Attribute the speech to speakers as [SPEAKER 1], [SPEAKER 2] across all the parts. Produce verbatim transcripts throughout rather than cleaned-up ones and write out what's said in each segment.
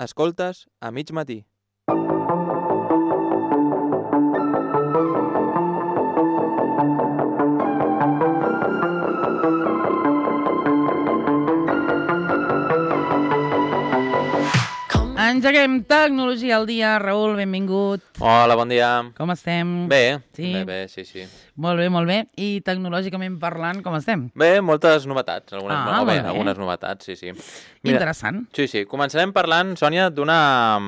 [SPEAKER 1] Escoltes a mig matí.
[SPEAKER 2] Engeguem Tecnologia al dia. Raül, benvingut.
[SPEAKER 1] Hola, bon dia.
[SPEAKER 2] Com estem?
[SPEAKER 1] Bé,
[SPEAKER 2] sí?
[SPEAKER 1] bé, bé, sí, sí.
[SPEAKER 2] Molt bé, molt bé. I tecnològicament parlant, com estem?
[SPEAKER 1] Bé, moltes novetats. Algunes,
[SPEAKER 2] Ah,
[SPEAKER 1] no, bé,
[SPEAKER 2] molt bé.
[SPEAKER 1] algunes novetats, sí, sí. Mira,
[SPEAKER 2] Interessant.
[SPEAKER 1] sí, sí. Començarem parlant, Sònia, d'una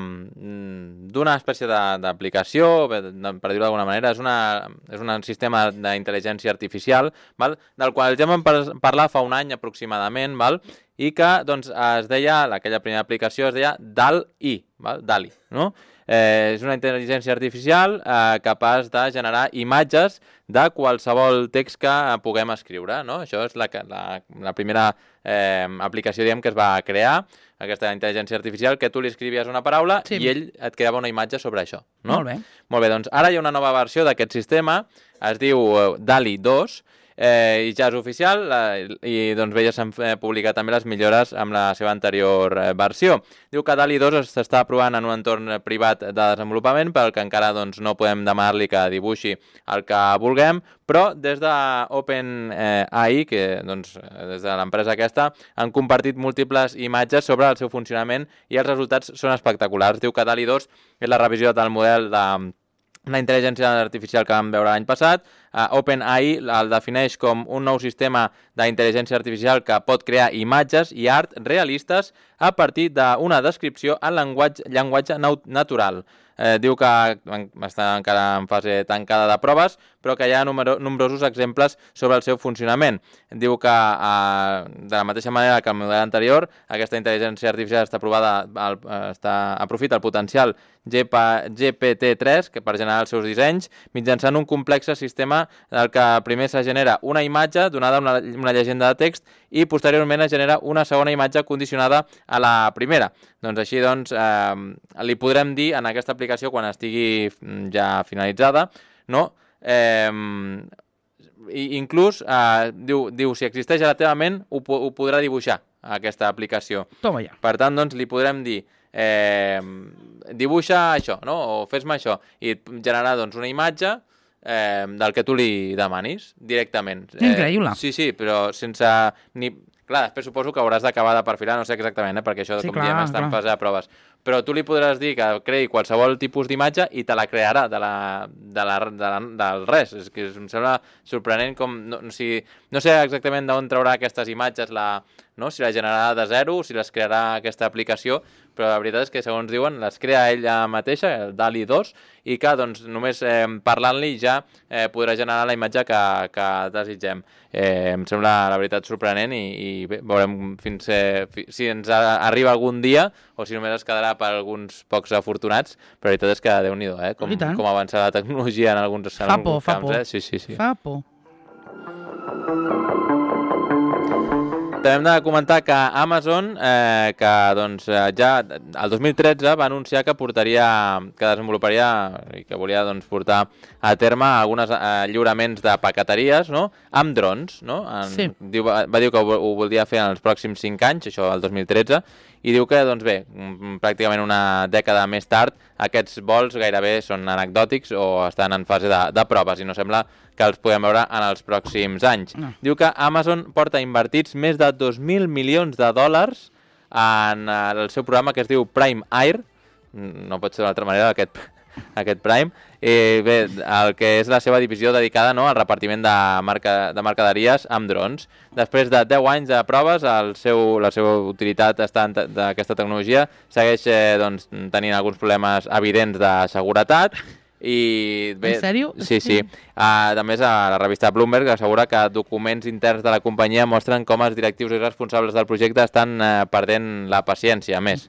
[SPEAKER 1] d'una espècie de- d'aplicació, bé, de- per dir-ho d'alguna manera. És, una, és un sistema d'intel·ligència artificial, val? Del qual ja vam par parlar fa un any aproximadament, val? I que doncs, es deia, aquella primera aplicació es deia D A L I, val? D A L I, no? Eh, és una intel·ligència artificial eh, capaç de generar imatges de qualsevol text que puguem escriure, no? Això és la, la, la primera eh, aplicació, diguem, que es va crear, aquesta intel·ligència artificial, que tu li escrivies una paraula
[SPEAKER 2] Sí.
[SPEAKER 1] i ell et creava una imatge sobre això, no?
[SPEAKER 2] Molt bé.
[SPEAKER 1] Molt bé, doncs ara hi ha una nova versió d'aquest sistema, es diu eh, D A L I dos, eh, i ja és oficial, eh, i doncs bé, ja s'han eh, publicat també les millores amb la seva anterior eh, versió. Diu que D A L I dos s'està provant en un entorn privat de desenvolupament, pel que encara doncs, no podem demanar-li que dibuixi el que vulguem, però des d'OpenAI, que doncs, des de l'empresa aquesta, han compartit múltiples imatges sobre el seu funcionament i els resultats són espectaculars. Diu que D A L I dos és la revisió del model de la intel·ligència artificial que vam veure l'any passat. Uh, OpenAI el defineix com un nou sistema d'intel·ligència artificial que pot crear imatges i art realistes a partir d'una descripció en llenguatge, llenguatge natural. Eh, diu que està encara en fase tancada de proves, però que hi ha numero, nombrosos exemples sobre el seu funcionament. Diu que, eh, de la mateixa manera que el model anterior, aquesta intel·ligència artificial està provada, el, està, aprofita el potencial G P T tres que per generar els seus dissenys mitjançant un complex sistema del que primer se genera una imatge donada una, una llegenda de text i posteriorment es genera una segona imatge condicionada a la primera. Doncs així doncs, eh, li podrem dir en aquesta aplicació quan estigui ja finalitzada, no? Eh, i inclús eh, diu, diu si existeix a la teva ment ho, ho podrà dibuixar aquesta aplicació.
[SPEAKER 2] Toma ja.
[SPEAKER 1] Per tant, doncs, li podrem dir eh, dibuixa això, no? O fes-me això, i generar doncs, una imatge eh, del que tu li demanis directament.
[SPEAKER 2] Increïble.
[SPEAKER 1] Eh, sí, sí, però sense ni... Clar, després suposo que hauràs d'acabar de perfilar, no sé exactament, eh, perquè això,
[SPEAKER 2] Sí,
[SPEAKER 1] com
[SPEAKER 2] clar,
[SPEAKER 1] diem, està en
[SPEAKER 2] clar.
[SPEAKER 1] fase de proves. Però tu li podràs dir que creï qualsevol tipus d'imatge i te la crearà de la, de la, de la, del res. És que em sembla sorprenent com... No, o sigui, no sé exactament d'on traurà aquestes imatges, la, no? Si la generarà de zero, si les crearà aquesta aplicació, però la veritat és que, segons diuen, les crea ella mateixa, el D A L I dos, i que doncs, només eh, parlant-li ja eh, podrà generar la imatge que, que desitgem. Eh, em sembla, la veritat, sorprenent i, i bé, veurem fins, eh, fi, si ens a, arriba algun dia o si només es quedarà per alguns pocs afortunats, però la veritat és que Déu-n'hi-do, eh? Com, com avança la tecnologia en alguns, en
[SPEAKER 2] fa
[SPEAKER 1] alguns
[SPEAKER 2] por,
[SPEAKER 1] camps.
[SPEAKER 2] Fa por,
[SPEAKER 1] eh? Sí, sí, sí.
[SPEAKER 2] Fa por.
[SPEAKER 1] També hem de comentar que Amazon, eh, que doncs, ja el dos mil tretze va anunciar que portaria, que desenvoluparia i que volia doncs, portar a terme alguns eh, lliuraments de paqueteries, no? Amb drons, no? En,
[SPEAKER 2] sí.
[SPEAKER 1] diu, va, va dir que ho, ho volia fer en els pròxims cinc anys, això el dos mil tretze, i diu que, doncs bé, pràcticament una dècada més tard, aquests vols gairebé són anecdòtics o estan en fase de, de proves i no sembla que els podem veure en els pròxims anys.
[SPEAKER 2] No.
[SPEAKER 1] Diu que Amazon porta invertits més de dos mil milions de dòlars en el seu programa que es diu Prime Air, no pot ser d'una altra manera aquest, aquest Prime, i bé, el que és la seva divisió dedicada, no, al repartiment de, marca, de mercaderies amb drons. Després de deu anys de proves, el seu, la seva utilitat d'aquesta tecnologia segueix eh, doncs, tenint alguns problemes evidents de seguretat. I bé,
[SPEAKER 2] en sèrio?
[SPEAKER 1] Sí, sí. Uh, a més, a la revista Bloomberg assegura que documents interns de la companyia mostren com els directius i responsables del projecte estan uh, perdent la paciència, a més.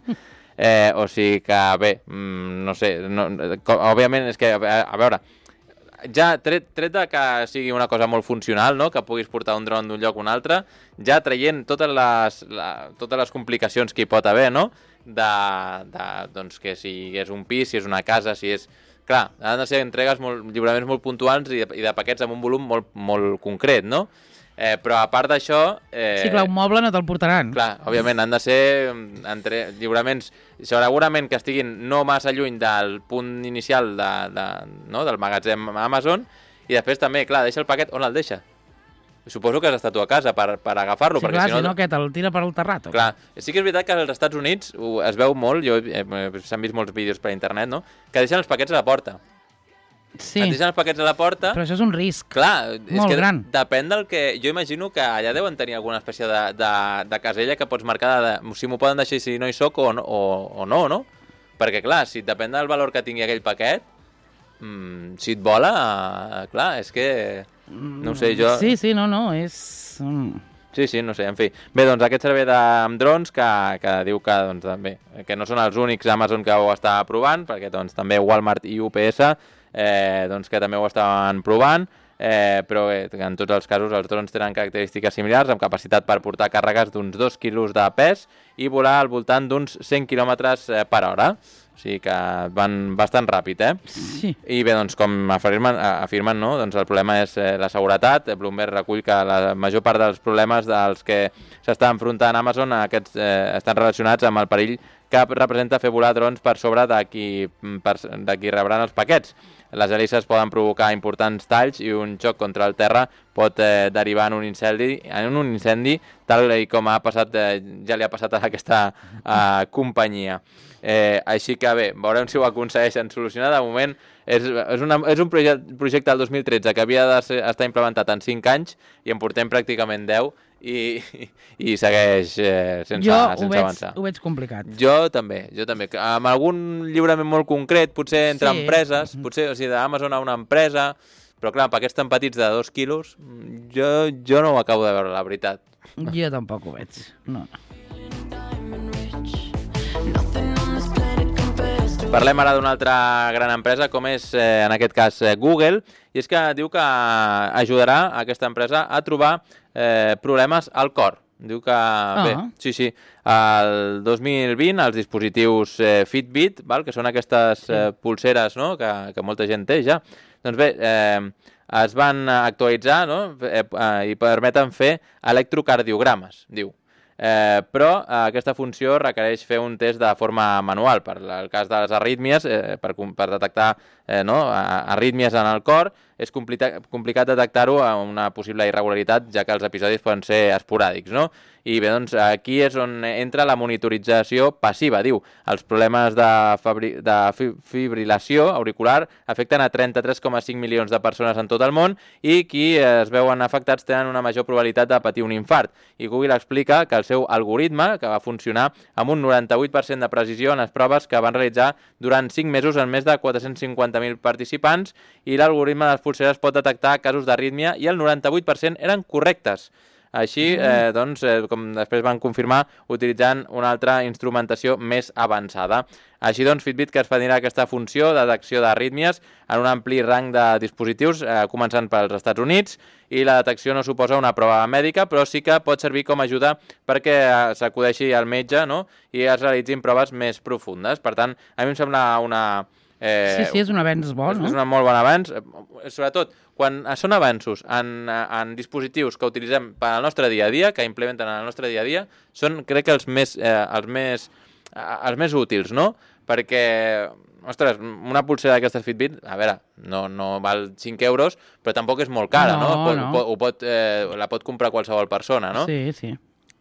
[SPEAKER 1] Eh, o sigui que, bé, mm, no sé, no, com, òbviament és que, a, a veure, ja tret, tret de que sigui una cosa molt funcional, no? Que puguis portar un dron d'un lloc a un altre, ja traient totes les, la, totes les complicacions que hi pot haver, no? De, de, doncs, que si és un pis, si és una casa, si és... Clar, han de ser entregues molt, lliuraments molt puntuals i de, i de paquets amb un volum molt, molt concret, no? Eh, però a part d'això... Eh,
[SPEAKER 2] sí, clar, un moble no te'l portaran.
[SPEAKER 1] Clar, òbviament, han de ser entre lliuraments, segurament que estiguin no massa lluny del punt inicial de, de, no, del magatzem Amazon, i després també, clar, deixa el paquet on el deixa. Suposo que has estat tu a casa per, per agafar-lo.
[SPEAKER 2] Sí, clar, si no, si no què, te'l tira per al terrat.
[SPEAKER 1] Clar, sí que és veritat que als Estats Units es veu molt, jo eh, s'han vist molts vídeos per internet, no?, que deixen els paquets a la porta.
[SPEAKER 2] Sí,
[SPEAKER 1] et deixen els paquets a la porta...
[SPEAKER 2] però això és un risc.
[SPEAKER 1] Clar, és
[SPEAKER 2] molt
[SPEAKER 1] que
[SPEAKER 2] gran.
[SPEAKER 1] Depèn del que... Jo imagino que allà deuen tenir alguna espècie de, de, de casella que pots marcar de, de, si m'ho poden deixar si no hi soc o, o, o no, no? Perquè, clar, si depèn del valor que tingui aquell paquet, mmm, si et vola, eh, clar, és que... No ho sé, jo...
[SPEAKER 2] Sí, sí, no, no, és...
[SPEAKER 1] Sí, sí, no sé, en fi. Bé, doncs aquest servei de drons que, que diu que, doncs, també, que no són els únics Amazon que ho està provant, perquè doncs, també Walmart i U P S eh, doncs, que també ho estaven provant, eh, però eh, en tots els casos els drons tenen característiques similars, amb capacitat per portar càrregues d'uns dos quilos de pes i volar al voltant d'uns cent quilòmetres per hora. O sigui que van bastant ràpid, eh?
[SPEAKER 2] Sí.
[SPEAKER 1] I bé, doncs, com afirmen, afirmen no? Doncs el problema és eh, la seguretat. Bloomberg recull que la major part dels problemes dels que s'està enfrontant Amazon aquests, eh, estan relacionats amb el perill que representa fer volar drons per sobre de qui, per, de qui rebran els paquets. Les hèlices poden provocar importants talls i un xoc contra el terra pot eh, derivar en un incendi, en un incendi tal com ha passat, eh, ja li ha passat a aquesta eh, companyia. Eh, així que bé, veurem si ho aconsegueixen solucionar. De moment és, és, una, és un projecte, projecte del dos mil tretze que havia d'estar implementat en cinc anys i en portem pràcticament deu i, i, i segueix eh, sense,
[SPEAKER 2] jo
[SPEAKER 1] sense
[SPEAKER 2] ho veig,
[SPEAKER 1] avançar.
[SPEAKER 2] ho veig complicat.
[SPEAKER 1] Jo també, jo també. Amb algun lliurament molt concret, potser entre sí. empreses, potser, o sigui, d'Amazon a una empresa, però clar, paquets tan petits de dos quilos, jo, jo no ho acabo de veure, la veritat.
[SPEAKER 2] Jo tampoc ho veig, no, no.
[SPEAKER 1] Parlem ara d'una altra gran empresa, com és, eh, en aquest cas, eh, Google, i és que diu que ajudarà a aquesta empresa a trobar eh, problemes al cor. Diu que, ah. bé, sí, sí, el dos mil vint els dispositius eh, Fitbit, val, que són aquestes eh, pulseres, no?, que, que molta gent té ja, doncs bé, eh, es van actualitzar, no?, eh, eh, i permeten fer electrocardiogrames, diu. Eh, però eh, aquesta funció requereix fer un test de forma manual. Per el cas de les arrítmies, eh, per, per detectar eh, no, arrítmies en el cor, és complicat, complicat detectar-ho amb una possible irregularitat, ja que els episodis poden ser esporàdics, no? I bé, doncs aquí és on entra la monitorització passiva, diu. Els problemes de, fabri... de fibrilació auricular afecten a trenta-tres coma cinc milions de persones en tot el món i qui es veuen afectats tenen una major probabilitat de patir un infart. I Google explica que el seu algoritme, que va funcionar amb un noranta-vuit per cent de precisió en les proves que van realitzar durant cinc mesos en més de quatre-cents cinquanta mil participants, i l'algoritme de les pulseres pot detectar casos d'arrítmia i el noranta-vuit per cent eren correctes. Així, eh, doncs, eh, com després van confirmar, utilitzant una altra instrumentació més avançada. Així doncs, Fitbit que expandirà aquesta funció de detecció d'arrítmies en un ampli rang de dispositius, eh, començant pels Estats Units, i la detecció no suposa una prova mèdica, però sí que pot servir com a ajuda perquè s'acudeixi al metge, no?, i es realitzin proves més profundes. Per tant, a mi em sembla una...
[SPEAKER 2] Eh, sí, sí, és un avenç bo, no?
[SPEAKER 1] És un molt bon avenç, sobretot quan són avanços en, en dispositius que utilitzem per al nostre dia a dia, que implementen en el nostre dia a dia, són, crec que, els més, eh, els més, eh, els més útils, no? Perquè, ostres, una pulsera d'aquestes Fitbit, a veure, no, no val cinc euros, però tampoc és molt cara, no? no? Pot, no. Ho pot, eh, la pot comprar qualsevol persona, no?
[SPEAKER 2] Sí, sí.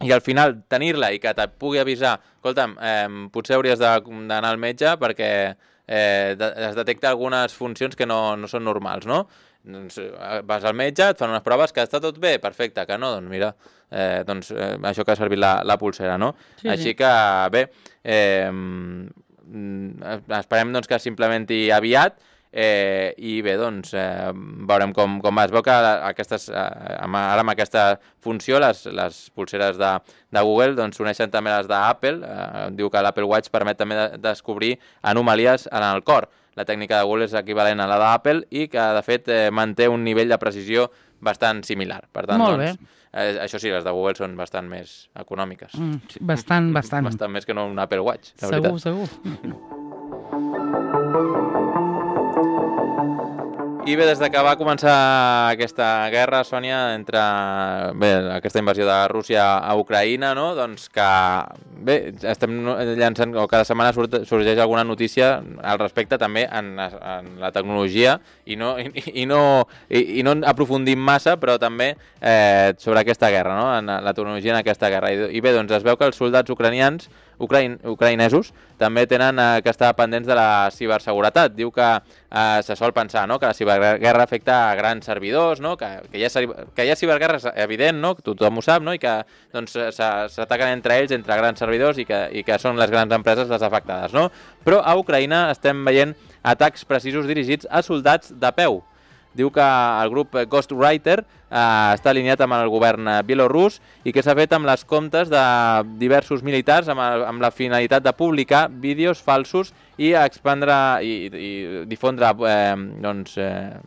[SPEAKER 1] I al final tenir-la i que et pugui avisar, escolta'm, eh, potser hauries d'anar al metge perquè eh, es detecta algunes funcions que no, no són normals, no? Doncs vas al metge, et fan unes proves, que està tot bé, perfecte, que no, doncs mira, eh, doncs eh, això que ha servit la, la pulsera, no? Sí, Així sí. que, bé, eh, esperem doncs, que s'implementi aviat, Eh, i bé, doncs, eh, veurem com, com va. Es veu que aquestes, eh, ara amb aquesta funció, les, les pulseres de, de Google doncs, s'uneixen també les d'Apple. Eh, diu que l'Apple Watch permet també de descobrir anomalies en el cor. La tècnica de Google és equivalent a la d'Apple i que, de fet, eh, manté un nivell de precisió bastant similar. Per tant,
[SPEAKER 2] Molt
[SPEAKER 1] doncs,
[SPEAKER 2] bé.
[SPEAKER 1] Eh, això sí, les de Google són bastant més econòmiques.
[SPEAKER 2] Mm, sí, bastant, bastant.
[SPEAKER 1] Bastant més que no un Apple Watch, la
[SPEAKER 2] segur,
[SPEAKER 1] veritat.
[SPEAKER 2] Segur, segur.
[SPEAKER 1] I bé, des de que va començar aquesta guerra, Sònia, entre bé, aquesta invasió de Rússia a Ucraïna, no? Doncs que bé, estem llançant, o cada setmana surt, sorgeix alguna notícia al respecte també en, en la tecnologia i no, i, i no, i, i no aprofundim massa, però també eh, sobre aquesta guerra, no? En la tecnologia en aquesta guerra. I, i bé, doncs es veu que els soldats ucranians Ucraïn, ucraïnesos també tenen eh, que estar pendents de la ciberseguretat. Diu que eh, se sol pensar, no?, que la ciberguerra afecta a grans servidors, no?, que, que, hi ha, que hi ha ciberguerra és evident, no?, tothom ho sap, no?, i que doncs, s'ataquen entre ells, entre grans servidors, i que, i que són les grans empreses les afectades, no? Però a Ucraïna estem veient atacs precisos dirigits a soldats de peu. Diu que el grup Ghostwriter eh, està alineat amb el govern bielorrus i que s'ha fet amb les comptes de diversos militars amb, el, amb la finalitat de publicar vídeos falsos i expandre i, i difondre eh, doncs, eh,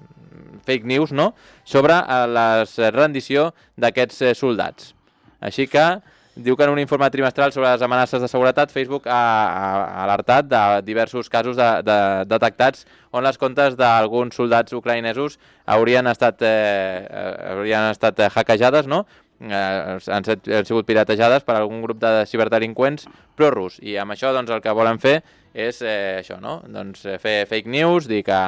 [SPEAKER 1] fake news, no?, sobre eh, la rendició d'aquests eh, soldats. Així que diu que en un informe trimestral sobre les amenaces de seguretat, Facebook ha, ha alertat de diversos casos de, de, detectats on les comptes d'alguns soldats ucraïnesos haurien estat, eh, haurien estat hackejades, no? Eh, han, set, han sigut piratejades per algun grup de ciberdelinqüents prorus. I amb això doncs, el que volen fer és eh, això, no? Doncs, eh, fer fake news, dir que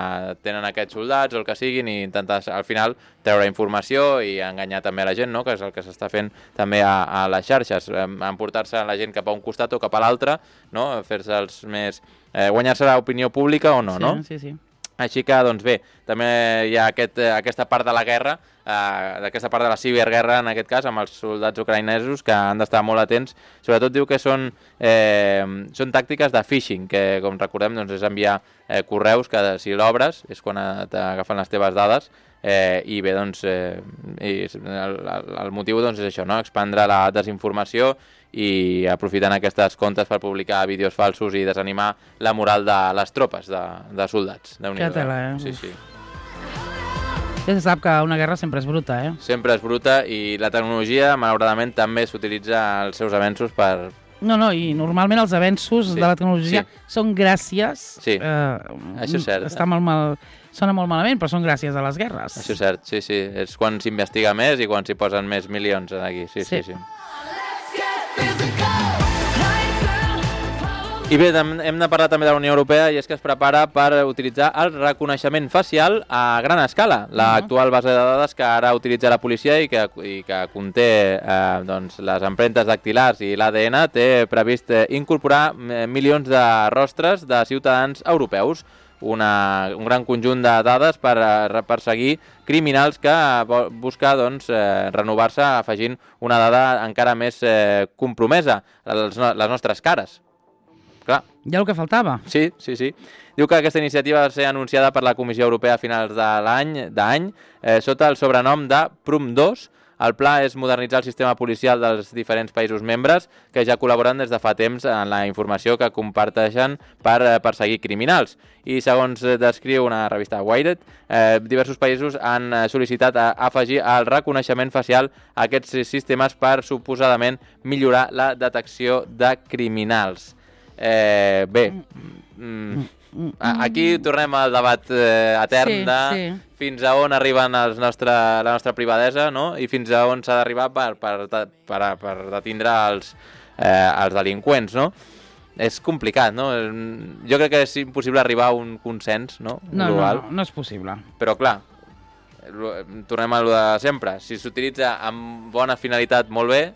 [SPEAKER 1] tenen aquests soldats o el que siguin i intentar al final treure informació i enganyar també a la gent, no?, que és el que s'està fent també a, a les xarxes, emportar-se la gent cap a un costat o cap a l'altre, no?, fer-se els més... Eh, guanyar-se l'opinió pública o no,
[SPEAKER 2] sí,
[SPEAKER 1] no?
[SPEAKER 2] Sí, sí.
[SPEAKER 1] Així que, doncs bé, també hi ha aquest, aquesta part de la guerra, eh, aquesta part de la ciberguerra, en aquest cas, amb els soldats ucraïnesos, que han d'estar molt atents. Sobretot diu que són, eh, són tàctiques de phishing, que, com recordem, doncs, és enviar eh, correus que, si l'obres, és quan t'agafen les teves dades, eh, i bé, doncs, eh, i el, el motiu doncs, és això, no?, expandre la desinformació i aprofitant aquestes comptes per publicar vídeos falsos i desanimar la moral de les tropes de, de soldats.
[SPEAKER 2] Que tela, eh?
[SPEAKER 1] Sí, sí.
[SPEAKER 2] Ja se sap que una guerra sempre és bruta, eh?
[SPEAKER 1] Sempre és bruta i la tecnologia, malauradament, també s'utilitza als seus avenços per...
[SPEAKER 2] No, no, i normalment els avenços sí, de la tecnologia sí, són gràcies...
[SPEAKER 1] Sí, eh, això és cert.
[SPEAKER 2] Està molt mal... Sona molt malament, però són gràcies a les guerres.
[SPEAKER 1] Això és cert, sí, sí. És quan s'investiga més i quan s'hi posen més milions aquí. Sí, sí, sí. sí. I bé, hem de parlar també de la Unió Europea i és que es prepara per utilitzar el reconeixement facial a gran escala. L'actual base de dades que ara utilitza la policia i que, i que conté eh, doncs, les empremtes dactilars i l'A D N té previst eh, incorporar milions de rostres de ciutadans europeus. Una, un gran conjunt de dades per uh, perseguir criminals que uh, busca doncs, uh, renovar-se afegint una dada encara més uh, compromesa, les, les nostres cares. Clar.
[SPEAKER 2] Ja el que faltava.
[SPEAKER 1] Sí, sí, sí. Diu que aquesta iniciativa va ser anunciada per la Comissió Europea a finals de l'any d'any eh, sota el sobrenom de Prum dos. El pla és modernitzar el sistema policial dels diferents països membres que ja col·laboren des de fa temps en la informació que comparteixen per perseguir criminals. I segons descriu una revista Wired, eh, diversos països han sol·licitat a afegir el reconeixement facial a aquests sistemes per suposadament millorar la detecció de criminals. Eh, bé, mm, aquí tornem al debat eh, etern sí, de sí. fins a on arriben els nostre, la nostra privadesa, no? I fins a on s'ha d'arribar per, per, per, per detindre els, eh, els delinqüents, no? És complicat, no? Jo crec que és impossible arribar a un consens, no?
[SPEAKER 2] No, global. no, no, no és possible.
[SPEAKER 1] Però clar, tornem a lo de sempre. Si s'utilitza amb bona finalitat, molt bé,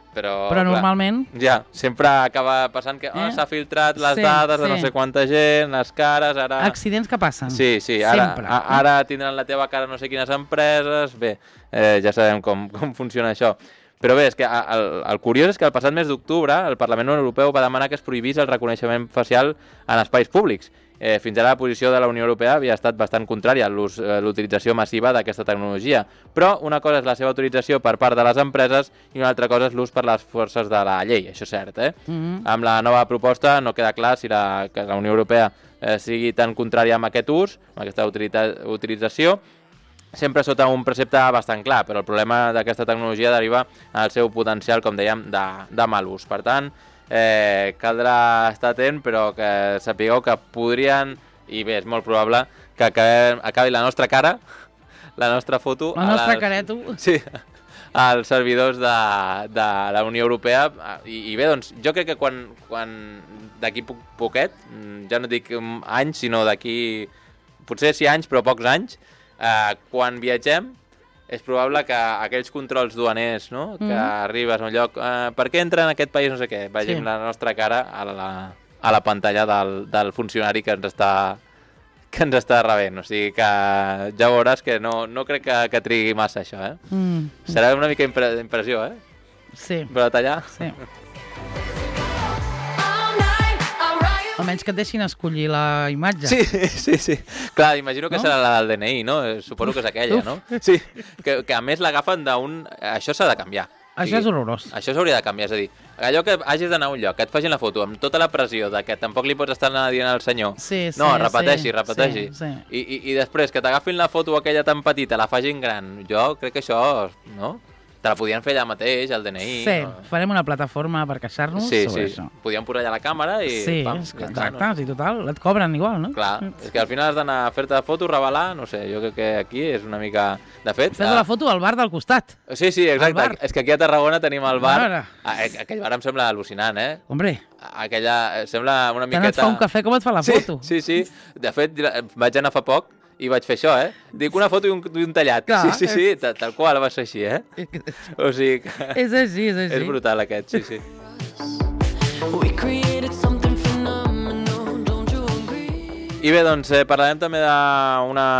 [SPEAKER 1] Però,
[SPEAKER 2] però normalment...
[SPEAKER 1] Clar, ja, sempre acaba passant que oh, eh? s'ha filtrat les sí, dades sí. de no sé quanta gent, les cares, ara...
[SPEAKER 2] Accidents que passen.
[SPEAKER 1] Sí, sí, ara, a, ara tindran la teva cara no sé quines empreses... Bé, eh, ja sabem com, com funciona això. Però bé, és que el, el curiós és que el passat mes d'octubre el Parlament Europeu va demanar que es prohibís el reconeixement facial en espais públics. Eh, fins ara la posició de la Unió Europea havia estat bastant contrària a l'utilització massiva d'aquesta tecnologia. Però una cosa és la seva utilització per part de les empreses i una altra cosa és l'ús per les forces de la llei, això és cert, eh? Mm-hmm. Amb la nova proposta no queda clar si la, que la Unió Europea eh, sigui tan contrària amb aquest ús, amb aquesta utilització, sempre sota un precepte bastant clar, però el problema d'aquesta tecnologia deriva al seu potencial, com dèiem, de, de mal ús. Per tant, Eh, caldrà estar atent, però que sapigueu que podrien I bé, és molt probable que acabi, acabi la nostra cara, la nostra foto...
[SPEAKER 2] La nostra
[SPEAKER 1] les,
[SPEAKER 2] careto.
[SPEAKER 1] Sí, als servidors de, de la Unió Europea. I, i bé, doncs, jo crec que quan, quan d'aquí poc, poquet, ja no dic anys, sinó d'aquí, potser sí anys, però pocs anys, eh, quan viatgem, és probable que aquells controls duaners, no? Que mm. arribes a un lloc... Eh, per què entra en aquest país no sé què? Vegem sí. la nostra cara a la, a la pantalla del, del funcionari que ens està que ens està rebent. O sigui que ja veuràs que no, no crec que, que trigui massa això, eh? Mm. Serà una mica impre impressió, eh?
[SPEAKER 2] Sí.
[SPEAKER 1] Però tallar...
[SPEAKER 2] Sí. Almenys que et deixin escollir la imatge.
[SPEAKER 1] Sí, sí, sí. Clar, imagino que no? serà la del D N I, no? Suposo que és aquella, Uf. no? Sí, que, que a més l'agafen d'un... Això s'ha de canviar.
[SPEAKER 2] Això
[SPEAKER 1] sí,
[SPEAKER 2] és horrorós.
[SPEAKER 1] Això s'hauria de canviar, és a dir, allò que hagis d'anar a un lloc, que et facin la foto amb tota la pressió de que tampoc li pots estar dient al senyor.
[SPEAKER 2] Sí, sí,
[SPEAKER 1] no, repeteixi,
[SPEAKER 2] sí,
[SPEAKER 1] repeteixi.
[SPEAKER 2] Sí, sí.
[SPEAKER 1] I, i, I després que t'agafin la foto aquella tan petita, la facin gran. Jo crec que això, no? Te la podien fer allà mateix, al D N I.
[SPEAKER 2] Sí,
[SPEAKER 1] no?
[SPEAKER 2] Farem una plataforma per queixar-nos
[SPEAKER 1] sí,
[SPEAKER 2] sobre
[SPEAKER 1] sí.
[SPEAKER 2] això.
[SPEAKER 1] Podíem posar allà la càmera i...
[SPEAKER 2] Sí,
[SPEAKER 1] pam,
[SPEAKER 2] exacte,
[SPEAKER 1] ja està, no?
[SPEAKER 2] sí, total, et cobren igual, no?
[SPEAKER 1] Clar, és que al final has d'anar a fer-te foto, revelar, no sé, jo crec que aquí és una mica... De fet...
[SPEAKER 2] Fes la foto al bar del costat.
[SPEAKER 1] Sí, sí, exacte. És que aquí a Tarragona tenim el bar...
[SPEAKER 2] Ara.
[SPEAKER 1] Aquell bar em sembla al·lucinant, eh?
[SPEAKER 2] Hombre.
[SPEAKER 1] Aquella... Sembla una miqueta...
[SPEAKER 2] Tant et fa un cafè com et fa la foto.
[SPEAKER 1] Sí, sí, sí. De fet, vaig anar fa poc i vaig fer això, eh? Dic una foto i un, i un tallat. Clar, sí, sí, sí, tal, tal qual va ser així, eh? O sigui que...
[SPEAKER 2] És així, és així.
[SPEAKER 1] És brutal aquest, sí, sí. I bé, doncs eh, parlarem també d'una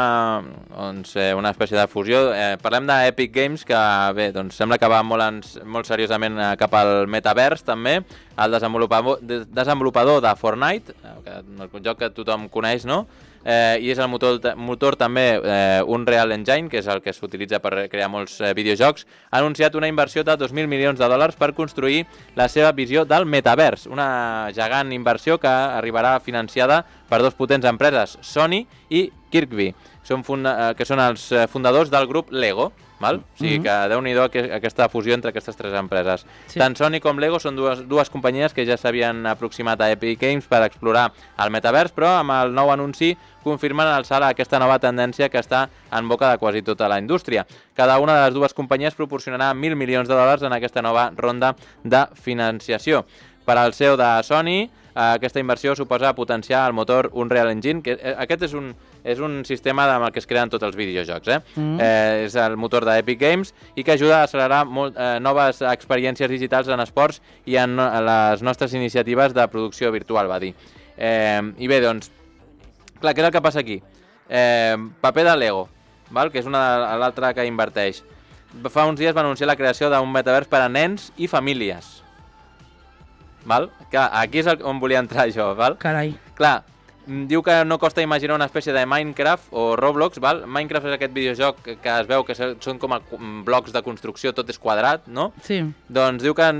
[SPEAKER 1] doncs, eh, una espècie de fusió. Eh, parlem d'Epic Games, que bé, doncs sembla que va molt, en, molt seriosament eh, cap al metavers, també. El desenvolupador, de, desenvolupador de Fortnite, que, el joc que tothom coneix, no? Eh, i és el motor, motor també eh, Unreal Engine, que és el que s'utilitza per crear molts eh, videojocs, ha anunciat una inversió de dos mil milions de dòlars per construir la seva visió del metavers, una gegant inversió que arribarà financiada per dos potents empreses, Sony i Kirkby, són funda que són els fundadors del grup Lego. Val? O sigui que déu-n'hi-do aquesta fusió entre aquestes tres empreses. Sí. Tant Sony com Lego són dues, dues companyies que ja s'havien aproximat a Epic Games per explorar el metavers, però amb el nou anunci confirmen alçar aquesta nova tendència que està en boca de quasi tota la indústria. Cada una de les dues companyies proporcionarà mil milions de dòlars en aquesta nova ronda de financiació. Per al C E O de Sony, aquesta inversió suposa potenciar el motor Unreal Engine, que aquest és un, és un sistema amb el que es creen tots els videojocs. Eh? Mm. Eh, és el motor d'Epic Games i que ajuda a accelerar molt, eh, noves experiències digitals en esports i en les nostres iniciatives de producció virtual, va dir. Eh, I bé, doncs, clar, què és el que passa aquí? Eh, paper de Lego, val? Que és una l'altra que inverteix. Fa uns dies va anunciar la creació d'un metavers per a nens i famílies. Val? Clar, aquí és on volia entrar jo, val?
[SPEAKER 2] Carai.
[SPEAKER 1] Clar, diu que no costa imaginar una espècie de Minecraft o Roblox, val? Minecraft és aquest videojoc que es veu que són com a blocs de construcció, tot és quadrat, no?
[SPEAKER 2] Sí.
[SPEAKER 1] Doncs diu que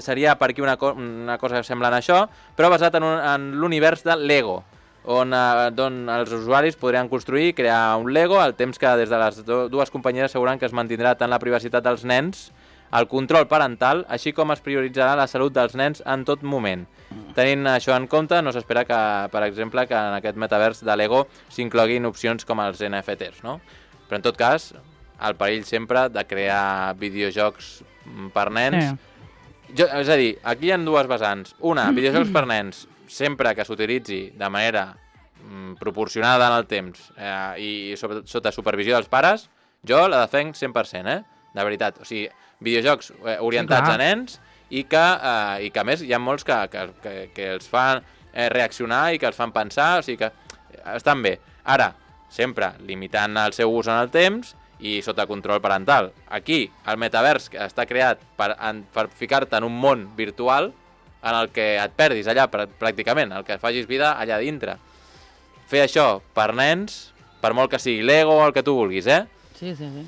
[SPEAKER 1] seria per aquí una, co una cosa semblant a això, però basat en, un, en l'univers de Lego, on, eh, on els usuaris podrien construir i crear un Lego, al temps que des de les dues companyies asseguren que es mantindrà tant la privacitat dels nens, el control parental, així com es prioritzarà la salut dels nens en tot moment. Tenint això en compte, no s'espera que, per exemple, que en aquest metavers de Lego s'incloguin opcions com els N F Ts, no? Però en tot cas, el perill sempre de crear videojocs per nens... Sí. Jo, és a dir, aquí hi ha dues vessants. Una, videojocs per nens, sempre que s'utilitzi de manera mm, proporcionada en el temps eh, i sobre, sota supervisió dels pares, jo la defenc cent per cent, eh? De veritat. O sigui, videojocs eh, orientats Clar. a nens i que, eh, i que a més hi ha molts que, que, que, que els fan eh, reaccionar i que els fan pensar, o sigui que estan bé. Ara, sempre limitant el seu ús en el temps i sota control parental. Aquí, el metavers que està creat per, per ficar-te en un món virtual en el que et perdis allà pràcticament, el que facis vida allà dintre. Fer això per nens, per molt que sigui Lego o el que tu vulguis, eh?
[SPEAKER 2] Sí, sí, sí.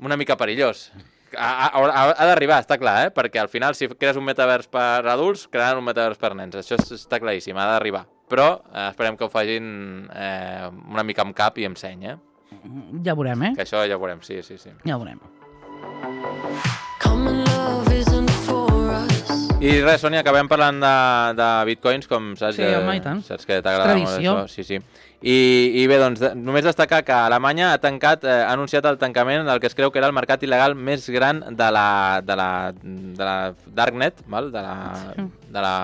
[SPEAKER 1] Una mica perillós. Ha, ha, ha d'arribar, està clar, eh? Perquè al final, si crees un metavers per adults, crearan un metavers per nens. Això està claríssim, ha d'arribar. Però eh, esperem que ho facin eh, una mica amb cap i amb seny, eh?
[SPEAKER 2] Ja veurem, eh?
[SPEAKER 1] Que això ja ho veurem, sí, sí, sí.
[SPEAKER 2] Ja ho veurem.
[SPEAKER 1] I I res, Sònia, acabem parlant de, de bitcoins, com saps,
[SPEAKER 2] sí, home, i tant.
[SPEAKER 1] Saps que t'agrada molt
[SPEAKER 2] Tradició.
[SPEAKER 1] això. Sí, sí. I, i bé, doncs, de, només destacar que Alemanya ha tancat, eh, ha anunciat el tancament del que es creu que era el mercat il·legal més gran de la, de la, de la Darknet, val? De, la,
[SPEAKER 2] Sí.
[SPEAKER 1] de la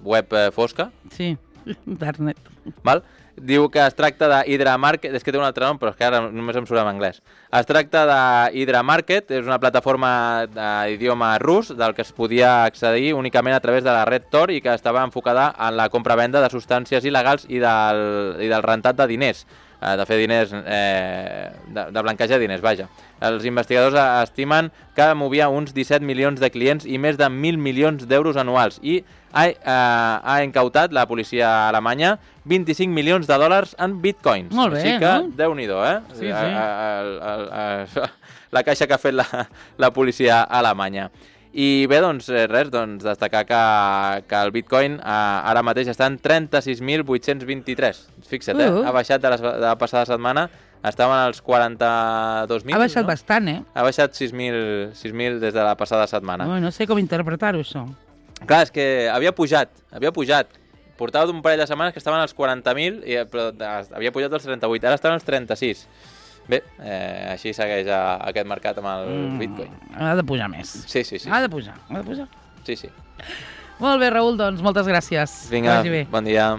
[SPEAKER 1] web eh, fosca.
[SPEAKER 2] Sí, Darknet.
[SPEAKER 1] Val? Diu que es tracta de Hydra Market, és que té un altre nom, però és que ara només em surt en anglès. Es tracta de Hydra Market, és una plataforma d'idioma rus del que es podia accedir únicament a través de la red Tor i que estava enfocada en la compra-venda de substàncies il·legals i del, i del rentat de diners, eh, de fer diners, eh, de, de blanquejar diners, vaja. Els investigadors estimen que movia uns disset milions de clients i més de mil milions d'euros anuals i ha, eh, ha incautat la policia alemanya vint-i-cinc milions de dòlars en bitcoins.
[SPEAKER 2] Molt bé,
[SPEAKER 1] Així que,
[SPEAKER 2] no?
[SPEAKER 1] Déu-n'hi-do, eh?
[SPEAKER 2] Sí, sí.
[SPEAKER 1] A, a, a, a, a, la caixa que ha fet la, la policia alemanya. I bé, doncs, res, doncs, destacar que, que el bitcoin eh, ara mateix està en trenta-sis mil vuit-cents vint-i-tres. Fixa't, eh?
[SPEAKER 2] Uh.
[SPEAKER 1] Ha baixat de la, de la passada setmana, estaven als quaranta-dos mil.
[SPEAKER 2] Ha baixat
[SPEAKER 1] no?
[SPEAKER 2] bastant, eh?
[SPEAKER 1] Ha baixat sis mil des de la passada setmana.
[SPEAKER 2] Ui, no sé com interpretar-ho, això.
[SPEAKER 1] Clar, és que havia pujat, havia pujat. Portava d'un parell de setmanes que estaven als quaranta mil, i, però havia pujat als trenta-vuit, ara estaven als trenta-sis. Bé, eh, així segueix a, aquest mercat amb el mm, Bitcoin.
[SPEAKER 2] Ha de pujar més.
[SPEAKER 1] Sí, sí, sí.
[SPEAKER 2] Ha de pujar, ha de pujar.
[SPEAKER 1] Sí, sí.
[SPEAKER 2] Molt bé, Raül, doncs moltes gràcies.
[SPEAKER 1] Vinga,
[SPEAKER 2] Que vagi bé.
[SPEAKER 1] bon dia.